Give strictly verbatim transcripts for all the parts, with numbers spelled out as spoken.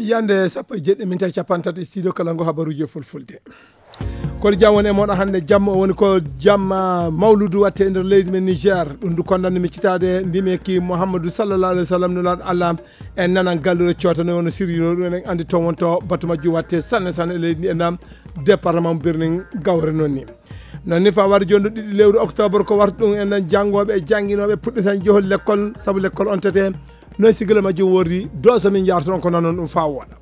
Yande sappo e jeɗɗi min tawi capantato e studio kala ngo habaruji e fulfulde. Kono jam woni e moɗo hannde, jamma o woni ko jamma mawludu watte e nder leydi men Niger. Ɗum ndu kondanmi mi citaade ndimeki Muhammadu sallallahu alaihi wasallam, nulaaɗo Allah. En nanan gallure coota no woni sirri no ɗum, en andi toon wonto batu majju watte sanne sanne e leydi ndi e nam département Birnin Gawre noon ni. Noon ni fa wari jooni ɗiɗi lewru octobre ko warta ɗum, en nan janngooɓe e jannginooɓe puɗɗitan johol lekkol, sabu lekkol on tete. Noon sigila majjum wordi, dooso min njaartoon ko nanon ɗum fa wooɗa.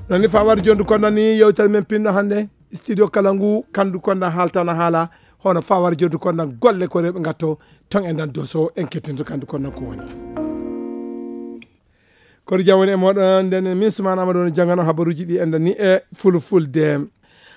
Noon ni fa wari jooni ko nani yewtere men pinno hannde, studio kala ngu, kandu konda haaltana haala, hono fa wari jooni konda golle ko rewɓe ngatto, ton en nan dooso en kettinto kandu konda ko woni. Kono jam woni e moɗon, nden min Sumaana Amadu woni janngano habaruuji ɗi enɗan ni e fulfulde.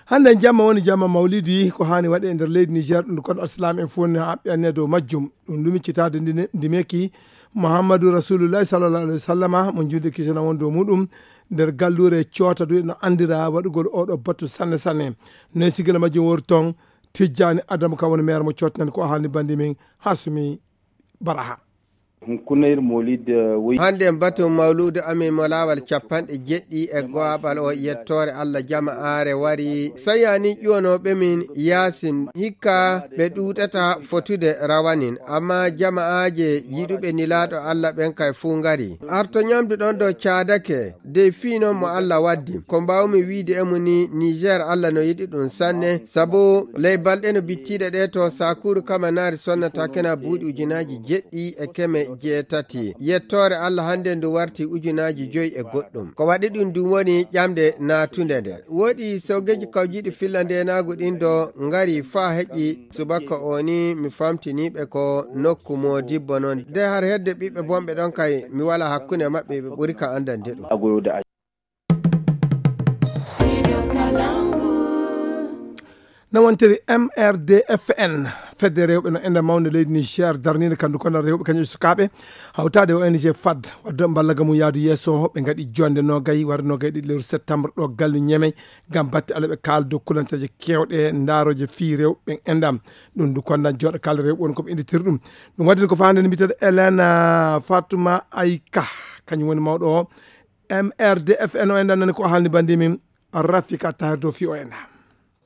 Hannde jamma woni jamma mawlidi, ko haani waɗe e nder leydi Niger, ɗum kono Islam en fof ne haɓɓi anne dow majjum. Ɗum ɗum miccitaade ndi, ndi meki Muhammadu Rasulullahi sallallahu alaihi wasallama, mo juulde kisana won dow muɗum, nder galluure cootadu no anndira waɗugol oɗo batu sanne sanne. Noy sigila majjum wori toon, Tijjani Adamu kam woni maire mo cootanen ko o haalni bandi min Hasumi Baraha. Hunkunayir Molid, eh, woy- Hannde en batun mawluudu amin mo laawal capanɗe jeɗɗi e go'aɓal o yettoore Allah jama aare wari. Sayani ƴuwanooɓe min Yaasin hikka ɓe ɗuuɗata fotude rawanin, amma jama'aaje yiɗuɓe nilaaɗo Allah ɓen kay fuu ngari. Arto ñamdu ɗon ɗo caadake, dey fii non mo Allah waddi. Ko mbaawmi wiide e mu ni, Niger Allah no yiɗi ɗum sanne, sabu ley balɗe no bittiiɗe ɗe to Sakuru Kamanaari sonnata kena buuɗi ujunaaji jeɗɗi e keme jeetati. Yettoore Allah hannde ndu warti ujunaaji joyi e goɗɗum. Ko waɗi ɗum ndun woni ƴamde naatunde nde. Woɗi soogeeji kawjiiɗi filla ndeenaagu ɗin ɗo ngari faa heƴi subaka o ni mi famtiniiɓe ko nokku mo dibbo non. De har hedde ɓiɓɓe bonɓe ɗon kay mi wala hakkunde maɓɓe ɓe ɓuri ka anndande ɗum. No wontiri M R D F N, fedde rewɓe no enda mawnde leydi Niger, darniinde kandu kono rewɓe kañum e sukaaɓe, hawtaade O N G fad, wadde mballaga mum yaadu yeeso, ɓe ngaɗi jonde nogay, wari nogay ɗiɗi lewru septembre ɗo gallu Ñeme, ngam batte ala ɓe kaala dow kulanteeje keewɗe, ndaarooje fii rewɓe ɓen endam. Ɗum ndu kondan jooɗo kala rewɓe woni ko ɓe innditiri ɗum. Ɗum waɗi ko faande nde mbiteɗo Elena Fatuma Ayka, kañum woni mawɗo o, M R D F N o enɗan nani ko haalni bandi min Rafika Tahir dow fii o enɗa.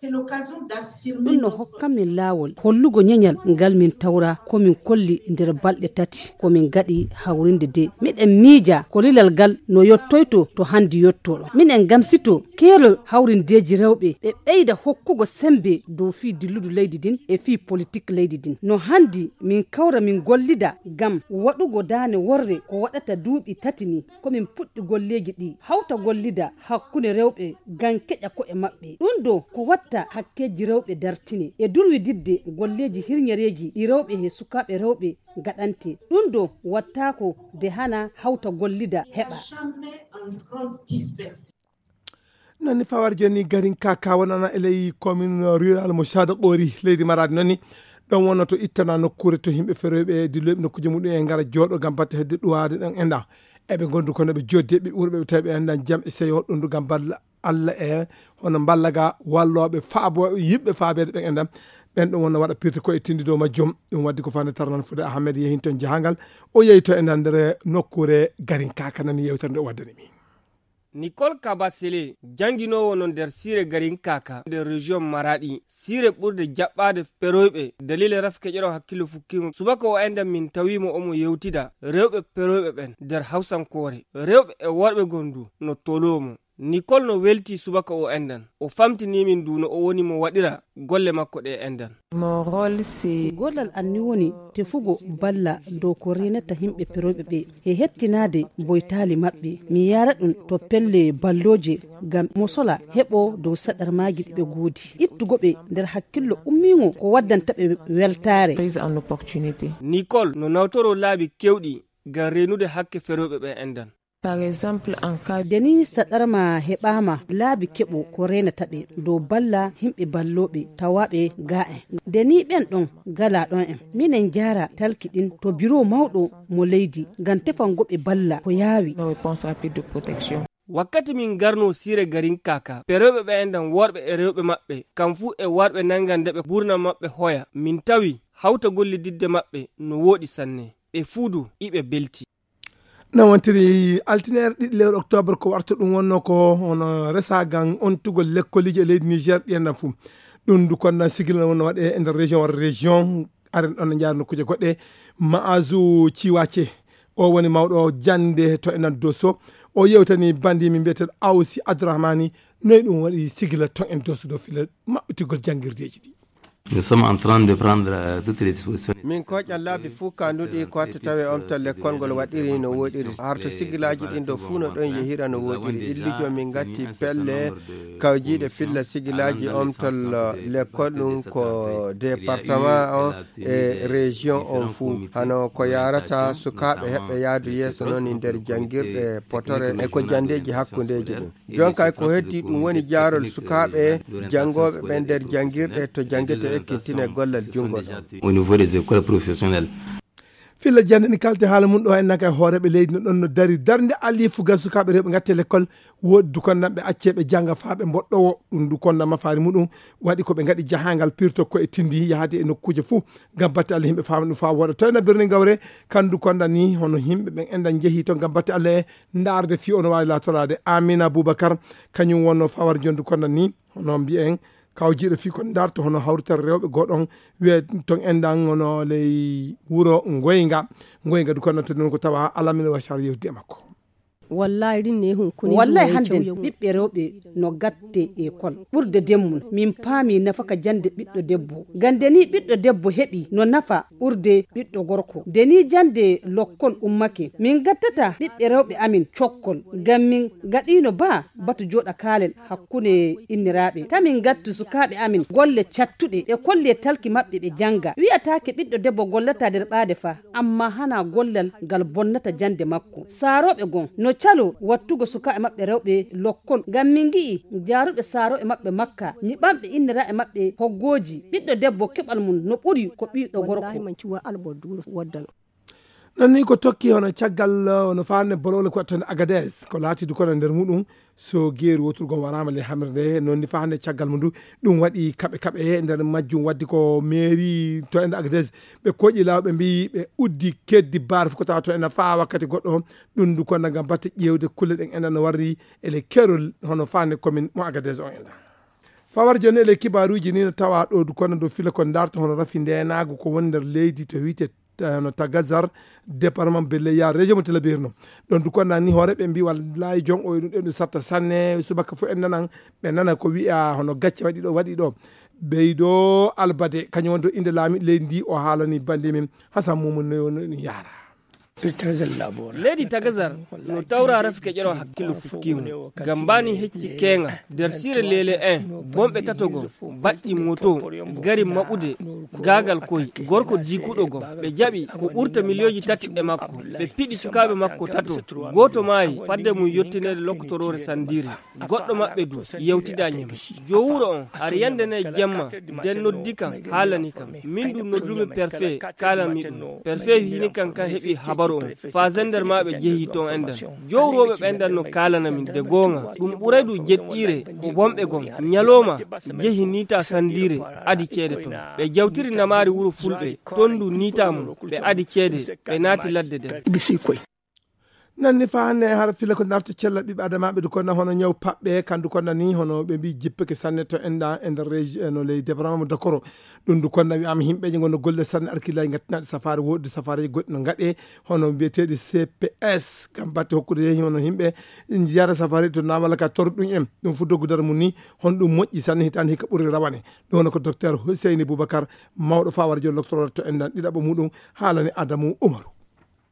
Ɗum no hokka min laawol hollugo ñeñal ngal min tawra ko min kolli nder balɗe tati ko min gaɗi hawrinde de. Miɗen miija ko lilal ngal no yottoyto to handi yottoɗo. Miɗen gamsito keerol hawrindeeji rewɓe ɓe ɓeyda hokkugo sembe dow fii dilludu leydi din e fii politik leydi din. No handi min kawra min gollida ngam waɗugo daane worre ko waɗata duuɓi tati ni. Ko min puɗɗi golleeji ɗi, hawta gollida hakkunde rewɓe ngam keƴa ko'e maɓɓe. Ɗum ɗo ko watta hakkeeji rewɓe dartine e durwididde golleeji hirñereeji ɗi rewɓe he sukaaɓe rewɓe ngaɗante. Ɗum ɗo wattaako de hana hawta gollida heɓa. Nani fawar joni garin kaka wonana e ley commune rural mo Sada Qori leydi Maradi nani. Ɗon wonno to ittana nokkure to yimɓe feroyɓe dilloyɓe nokkuji muɗum e ngara jooɗo ngam batte hedde ɗuwaade ɗon enda. Eɓe gondu kono ɓe joddi ɓe ɓurɓe ɓe tawi ɓe endan jam e seyo ɗum ngam balla Allah e hono mballaga walloɓe faabo yiɓɓe faabeede ɓen endan. Ɓen ɗum wonno waɗa pirti ko e tindi dow majjum. Ɗum waddi ko fande tarnan fude Ahmed yehin toon jahangal. O yehi to endan nder nokkure garin kaka nani yewtere nde o waddani min. Nicole Kabasele, jannginoowo no nder siire Garin Kaka nder région Maradi, siire ɓurde jaɓɓaade peroyɓe daliila rafi keƴoɗo hakkillo fukkiingo. Subaka o enɗan min tawiimo omo yewtida rewɓe peroyɓe ɓen nder Hawsankoore. Rewɓe e worɓe gondu no toloomo. Nicole no weltii subaka o enɗan. O famtinii min du no o woni mo waɗira golle makko ɗe enɗan. Mon rôle, c'est Gollal an ni woni tefugo balla dow ko reenata yimɓe peroyɓe ɓe e hettinaade boytaali maɓɓe. Mi yaara ɗum to pelle ballooje ngam mo sola heɓo dow saɗarmaaji ɗi ɓe goodi. Ittugo ɓe nder hakkillo ummiingo ko waddanta ɓe weltaare. Prise en opportunité. Nicole no nawtoroo laabi keewɗi ngam reenude hakke feroyɓe ɓe enɗan. Par exemple, en cas Nde ni saɗarma heɓaama laabi keɓo ko reenata ɓe dow balla yimɓe ballooɓe tawaaɓe ga en. Nde ni ɓen ɗon gala ɗon en. Minen jaara talki ɗin to biro mawɗo mo leydi ngam tefango ɓe balla ko yaawi. Nos réponses rapides de protection. Wakkati min ngarnoo siire Garin Kaka, perewɓe ɓe enɗan worɓe e rewɓe maɓɓe, kam fuu e warɓe nanngan nde ɓe ɓurna maɓɓe hoya, min tawi hawta gollididde maɓɓe no wooɗi sanne. Ɓe fuu du iɓe belti. No wontiri altineere ɗiɗi lewru octobre ko warta ɗum wonno ko hono resagal ontugol lekkoliji e leydi Niger ɗi enɗan fuu. Ɗum ndu konɗan sigila wonno waɗe e nder région walla région. Aren ɗon no njaarno kuje goɗɗe. Ma'azu Ciwace, o woni mawɗo jannde to enɗan Doso. O yewtani bandi min mbiyeteɗo Awsi Abdourahmani, noy ɗum waɗi sigila ton en Doso ɗo fila maɓɓitigol janngirdeeji ɗi. Nous sommes en train de prendre euh, toutes les dispositions. Min koƴan laabi fuu kanduɗi ko watta tawe omtal lekkol ngol waɗiri no woɗiri. Harto sigilaaji ɗin ɗo fuu no ɗon yehira no woɗiri. Illijo min ngatti pelle kawjiiɗe filla sigilaaji omtal lekkol ɗum ko département on e région on fuu. Hano ko yarata sukaaɓe heɓɓe yaadu yeeso noon e nder janngirɗe potore e ko janndeeji hakkundeeji ɗum. Jonkay ko heddi ɗum woni jaarol sukaaɓe janngooɓe ɓen nder janngirɗe to janngete ekkintina e gollal junngo ɗon. Au niveau des écoles professionnelles. Filla jannde ni kalte haala mum ɗo en naka e hooreeɓe leydi no ɗon no dari darnde allifu ga sukaaɓe rewɓe ngatte lekkol. Woodi du konnan ɓe accee ɓe jannga faa ɓe mboɗɗowo. Ɗum du konnan mafaari muɗum waɗi ko ɓe ngaɗi jahaangal pirto ko e tindi yahade e nokkuuje fuu ngam batte Allah yimɓe faama ɗum faa wooɗa. To ena birni ngawre kandu konnan ni hono yimɓe ɓen enɗan njehi to ngam batte Allah e ndaarde fii ono waawi laatoraade. Amina Boubacar kañum wonno fawar jondu konnan ni hono mbiyen kawjiiɗo fii ko ndaarto hono hawrital rewɓe goo ɗon wiye ton enɗan hono ley wuro Ngoynga. Ngoynga du konnan to ɗum ko tawa alamina wa sar yewdi e makko. Wallahi rinne hun kuni wallahi hande ɓiɓɓe rewɓe no gatte ekol ɓurde demmum. Min paami nafaka jande ɓiɗɗo debbo gande ni ɓiɗɗo debbo heɓi no nafa ɓurde ɓiɗɗo gorko. Nde ni jande lokkol ummake min gattata ɓiɓɓe rewɓe amin cokkol ngam min gaɗino ba batu jooɗa kaalen hakkunde inniraaɓe. Ta min ngattu sukaaɓe amin golle cattuɗe e kolle talki maɓɓe ɓe jannga. Wi'ataake ɓiɗɗo debbo gollata nder ɓaade fa, amma hana gollal ngal bonnata jannde makko. Saarooɓe gon no calo wattugo sukaaɓe maɓɓe rewɓe lokkol. Ngam min ngi'i jaaruɓe saarooɓe maɓɓe makka, nyiɓanɓe inniraaɓe maɓɓe hoggooji. Ɓiɗɗo debbo keɓal mum no ɓuri ko ɓiɗɗo gorko. Non ni ko tokki hono caggal hono faande bolowle ko waɗtonde Agadez ko laati du kono nder muɗum so geeru woturgo waraama le hamre nde non ni faande caggal mum du ɗum waɗi kaɓe kaɓe nder majjum waddi ko mairie to ende Agadez ɓe koƴi law ɓe mbi ɓe uddi keddi baar fof ko tawa to ena faa wakkati goɗɗo ɗum du kono ngam batte ƴeewde kulle ɗen ena no warri ele kerol hono faande commune mo Agadez o enda. Fawar joni ele kibaruji ni no tawa ɗo du kono do fila ko darto hono rafi ndenagu ko woni nder leydi to wiite no Tagazar, département Belle Yare, région mo Tilaberi no. Ɗon du ko nani hoore ɓe mbi wallahi jon o ɗum ɗen du satta sanne subaka fof en nanan ɓe nana ko wi'a hono gacce waɗi ɗo waɗi ɗo. Ɓeydo Albade kañum won do inde laami leydi ndi o haalani bande min Hasan Mumum no no ɗum yaara. Leydi Tagazar no tawra rafi keƴoɗo hakkillo fukkimu gam mbani hecci keŋa nder sire lele en bonɓe tato goo baɗɗi moto gari maɓude gaagal koy gorko diikuɗo goo ɓe jaɓi ko ɓurta miliyoji tati e makko ɓe piɗi sukaaɓe makko tato gooto maayi fadde mum yottineede lokkotoroore sandiire. Goɗɗo maɓɓe du yewtidañi mo. Jowuro on hari yande nayi jemma den noddi kam haalani kam min du noddumi perfe kaalami ɗum perfe hini kam kan heɓi habaru on fa zender maɓe jehi ton endan. Jowroɓe ɓendan no kaalana min de goonga ɗum ɓuray du jeɗɗiire ko bonɓe gon ñaloma jehi nita sandiire adi ceede ton. Ɓe jawtiri namaari wuro fulɓe ton du nita mum ɓe adi ceede ɓe naati ladde den. Nanni fa hannde en hara fila ko darto cella ɓiɓɓe adamaaɓe du konna hono ñaw paɓɓe kandu konna ni hono ɓe mbi jippeke sanne to enda e nder régi e no ley département mo dakoro. Ɗum du konna wi'ama himɓeji gonno golle sanne arkillaji gattinaɗe safare woɗɗi safareji goɗɗi no gaɗe hono mbiyeteɗi cps gam batte hokkude yehi hono himɓe yara safare to namala ka tor ɗum en ɗum fu doggu dara mum ni hono ɗum moƴƴi sanne hitande hikka ɓurri rawane. Ɗum hono ko docteur Huseyni Boubacar mawɗo fawara jol loctorore to endan ɗiɗaɓo muɗum haalani Adamu Umaru.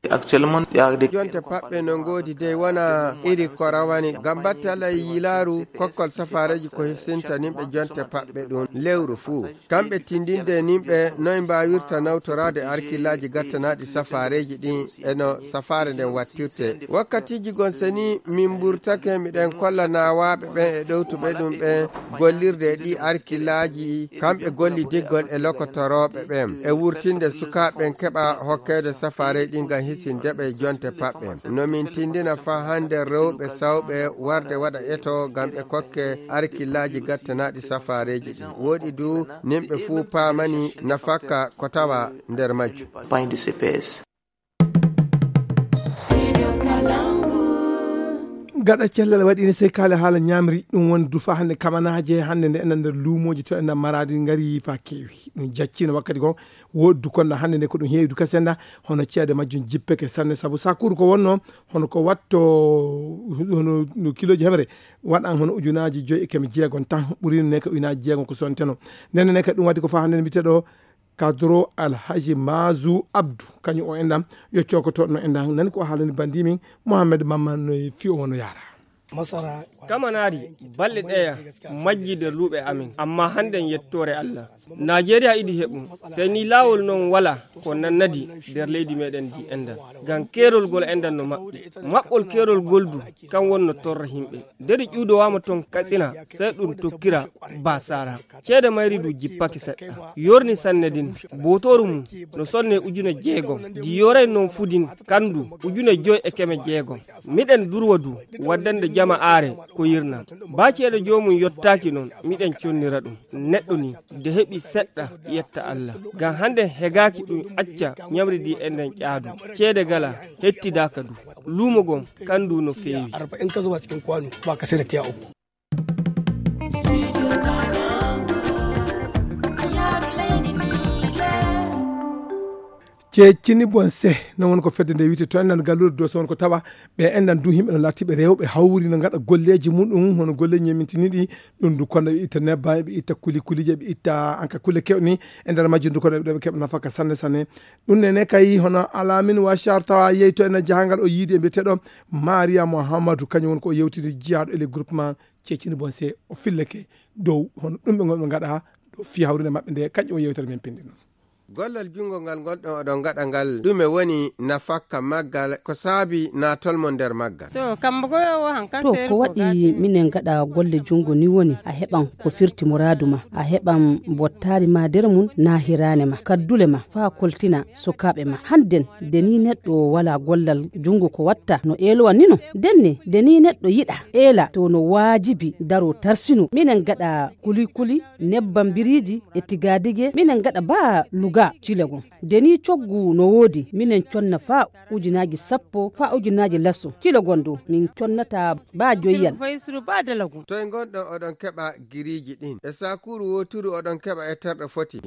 Jonte paɓɓe no ngoodi dey wona iri ko rawani ngam batte Allah e yiilaaru kokkol safaareeji ko hissinta nimɓe jonte paɓɓe ɗum lewru fuu. Kamɓe tindinde nimɓe noy mbaawirta nawtoraade arkillaaji gattanaaɗi safaareeji ɗin e no safaare nden wattirte. Wakkatiiji gon seni min mburtake miɗen kolla naawaaɓe ɓen e ɗowtuɓe ɗum ɓen gollirde e ɗii arkillaaji kamɓe gollidiggol e lokotorooɓe ɓen e wurtinde sukaaɓe ɓen keɓa hokkeede safaarey ɗin ngam hisinde ɓe jonte paɓɓe. No min tindina faa hannde rewɓe sawɓe warde waɗa eto ngam ɓe kokke arkillaaji gattanaaɗi safaareeji ɗin. Wooɗi du nimɓe fuu paamani nafakka ko tawa nder majjum. Gaɗa cellal waɗi ne sey kaale haala ñaamri, ɗum woni du fa hannde kamanaaje hannde nde enen nder luumooji to enen maraadi ngari fa keewi. Ɗum jaccino wakkati goo, woodi du konda hannde nde ko ɗum heewi du kasenda, hono ceede majjum jippeke sanne, sabu sakuru ko wonno, hono ko watto, hono no kilooji heɓre, waɗan hono ujunaaji joyi e keme jeegom tan, ɓuri ne ko ujunaaji jeegom ko sonteno. Nden ne kadi ɗum waɗi ko fa hannde nde mbiyete ɗo, Kadro Alhaji Mazu Abdu, kañum o enɗam, yo cokotoɗo no enɗam. Nani ko haalani bandi min, Mohamed Mamman no e fiyo wano yara. Kamanaari, balɗe ɗeya, majji nder luuɓe amin, amma hannden yettoore Allah. Najeriya iɗi heɓum, sey ni laawol non wala ko nannadi nder leydi meɗen ndi enɗam. Ngam keerol gol enɗam no maɓɓi. Maɓɓol keerol gol du, kan wonno torra himɓe. Nderi ƴuudowaama ton Katsina, sey ɗum tokkira Basara. Ceede mayri du jippake seɗɗa. Yorni sanne din, bootooru mum no sonne ujune jeegom. Di yoray non fudin kandu ujune joy e keme jeegom. Miɗen durwa du waddande jama aare ko yirna. Ba ceede joomum yottaaki non, miɗen connira ɗum. Neɗɗo ni, de heɓi seɗɗa yetta Allah. Ngam hande hegaaki ɗum acca ñamri di enden ƴaadu. Ceede gala, hettidaaka du. Luumo gom, kandu no feewi. Arba'in ka zuba cikin kwano, ba ka sai da tiya uku. Ceccini bon se, non won ko fedde nde wiyte to enɗan galluure do so won ko tawa ɓe enɗan du himɓe no lattiɓe rewɓe hawri no ngaɗa golleji muɗum, hono golleji ñemintiniɗi, ɗum du kono ɓe itta nebba, ɓe itta kuli kulije, ɓe itta anka kulle kewni e nder majjum du kono ɓe keɓa nafaka sanne sanne. Ɗum nene kay hono Alamin Washar tawa yehi to ene jahangal o yiidi e mbiyeteɗo Maria Mohamadou, kañum won ko o yewtidi jiyaaɗo e le groupement Ceccini bon se o filleke dow hono ɗum ɓe ngonɓe ngaɗa ɗo fi hawrinde maɓɓe nde kañƴo o yewtere men pindi noon. Gollal junngo ngal ngonɗon oɗon ngaɗa ngal, ɗume woni nafakka maggal, ko saabi naatol mon nder maggal? To kambo ko o hankan to seeri ko ko waɗi gaati. Minen ngaɗa golle junngo ni woni a heɓan ko firti muraadu ma, a heɓan mbottaari ma nder mum na hiraane ma kaddule ma faa koltina sukaaɓe ma hannden. Nde ni neɗɗo wala gollal junngo ko watta no eelowa ni no. Ndenne nde ni neɗɗo yiɗa eela to no waajibi daro tarsino. Minen ngaɗa kuli kuli, nebbam biriiji e tigaadige. Minen ngaɗa baa luga cilegon. Nde ni coggu no woodi, minen conna faa ujunaaji sappo faa ujunaaji lasso. Cilegon dow min connata baa joyyal. Toye ngonɗon oɗon keɓa giriiji ɗin? E sakuuru wooturu oɗon keɓa e terɗe foti?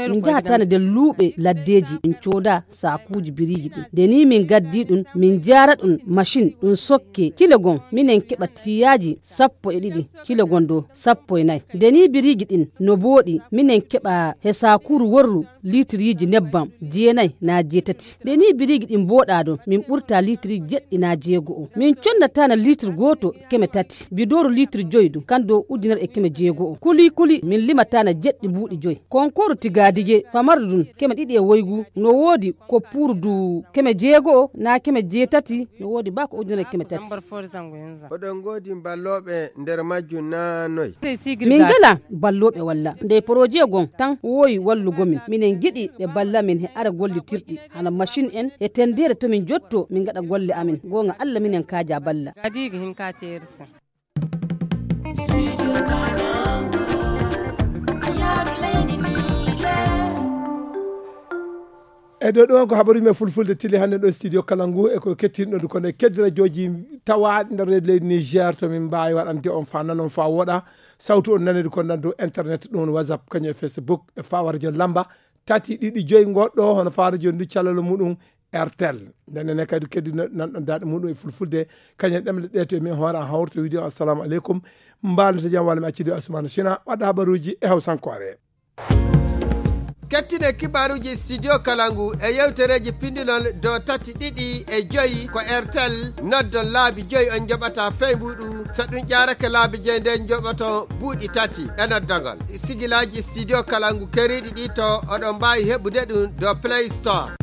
Min njahataano nder luuɓe laddeeji, min cooda saakuuji biriiji ɗin. Nde ni min gaddi ɗum, min jaara ɗum machin, ɗum sokke. Kile gon, minen keɓa tiyaaji sappo e ɗiɗi, kile gon dow sappo e nayi. Nde ni biriiji ɗin no booɗi, minen keɓa he sakuuru worru liitiriiji nebbam jeenayi naa jeetati. Nde ni biriiji ɗin booɗaa ɗon, min ɓurta liitiriiji jeɗɗi naa jeego'o. Min connataana liitir gooto keme tati, bidooru liitir joyi ɗum, kan dow ujunere e keme jeego'o. Kuli kuli, min limataana jeɗɗi buuɗi joyi. Konkooru tigaadige, famardu ɗum, keme ɗiɗi e woygu, no woodi ko puurdu keme jeego'o naa keme jeetati, no woodi baa ko ujunere e keme tati. Oɗon ngoodi mballooɓe nder majjum naa noy? Min ngala ballooɓe walla. Nde poroje gon tan woowi wallugo min. Minen ngiɗi ɓe balla min he ara gollitirɗi. Hana machin en e tendeere to min jotto min ngaɗa golle amin. Goonga Allah minen kaaja balla. Adiigi hin ka teersi. E ɗo ɗon ko habaruji men fulfulde tili hannde ɗo studio kala ngu e ko kettinɗo kono e keddi radiooji tawaaɗi nder leydi Niger to min mbaawi waɗande on fa nanon fa wooɗa. Sawtu on nanedi kon nan dow internet ɗum woni WhatsApp kañum e Facebook e fawa radio lamba tati ɗiɗi joyi ngoɗɗo hono fawa radio ndu calalo muɗum Airtel. Nden ne kadi keddi nanɗon daɗe muɗum e fulfulde kañum e ɗemle ɗe to e min hoore an hawrto wiide on assalamu aleykum. Mbaalata jam walla mi accidi Asumana Sina waɗa habaruji e hawsankoore. Kettine kibaruji studio kalangu e yewtereji pindinol do tati ɗiɗi e joyi ko Airtel noddon laabi joyi on joɓata fey mbuɗu. So ɗum ƴaarake laabi joyi nden joɓoto buuɗi tati e noddagol. Sigilaji studio kalangu keriɗi ɗi to oɗon mbaawi heɓude ɗum do Play Store.